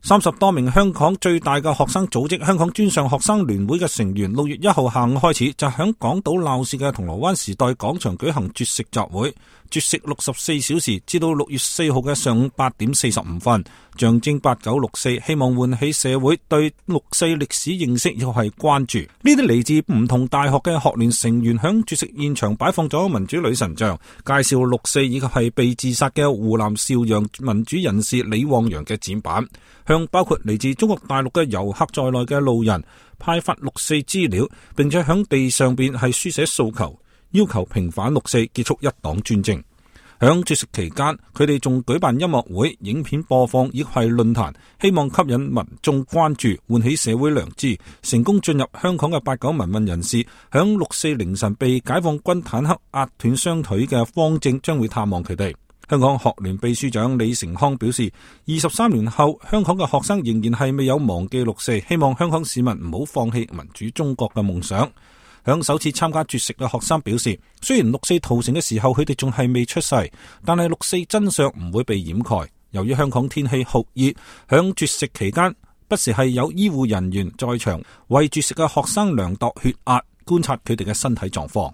30多名香港最大嘅學生組織香港專上學生聯會嘅成員6月1號下午開始就響港島鬧市嘅銅鑼灣時代廣場舉行絕食集會，絕食64小時，至到6月4號嘅上午8點45分，象徵8964，希望喚起社會對六四歷史認識又係關注。呢啲嚟自唔同大學嘅學聯成員響絕食現場擺放咗民主女神像，介紹六四以及係被自殺嘅湖南邵陽民主人士李旺陽嘅展板，向包括嚟自中國大陸嘅遊客在內嘅路人派發六四資料，並且響地上邊係書寫訴求，要求平反六四，結束一黨專政。響絕食期間，佢哋仲舉辦音樂會、影片播放以及係論壇，希望吸引民眾關注，喚起社會良知。成功進入香港嘅89民運人士，響六四凌晨被解放軍坦克壓斷雙腿嘅方正將會探望佢哋。香港學聯秘書長李成康表示，23年後，香港嘅學生仍然係未有忘記六四，希望香港市民唔好放棄民主中國嘅夢想。響首次參加絕食嘅學生表示，雖然六四屠城嘅時候佢哋仲係未出世，但係六四真相唔會被掩蓋。由於香港天氣酷熱，響絕食期間不時係有醫護人員在場為絕食嘅學生量度血壓，觀察佢哋嘅身體狀況。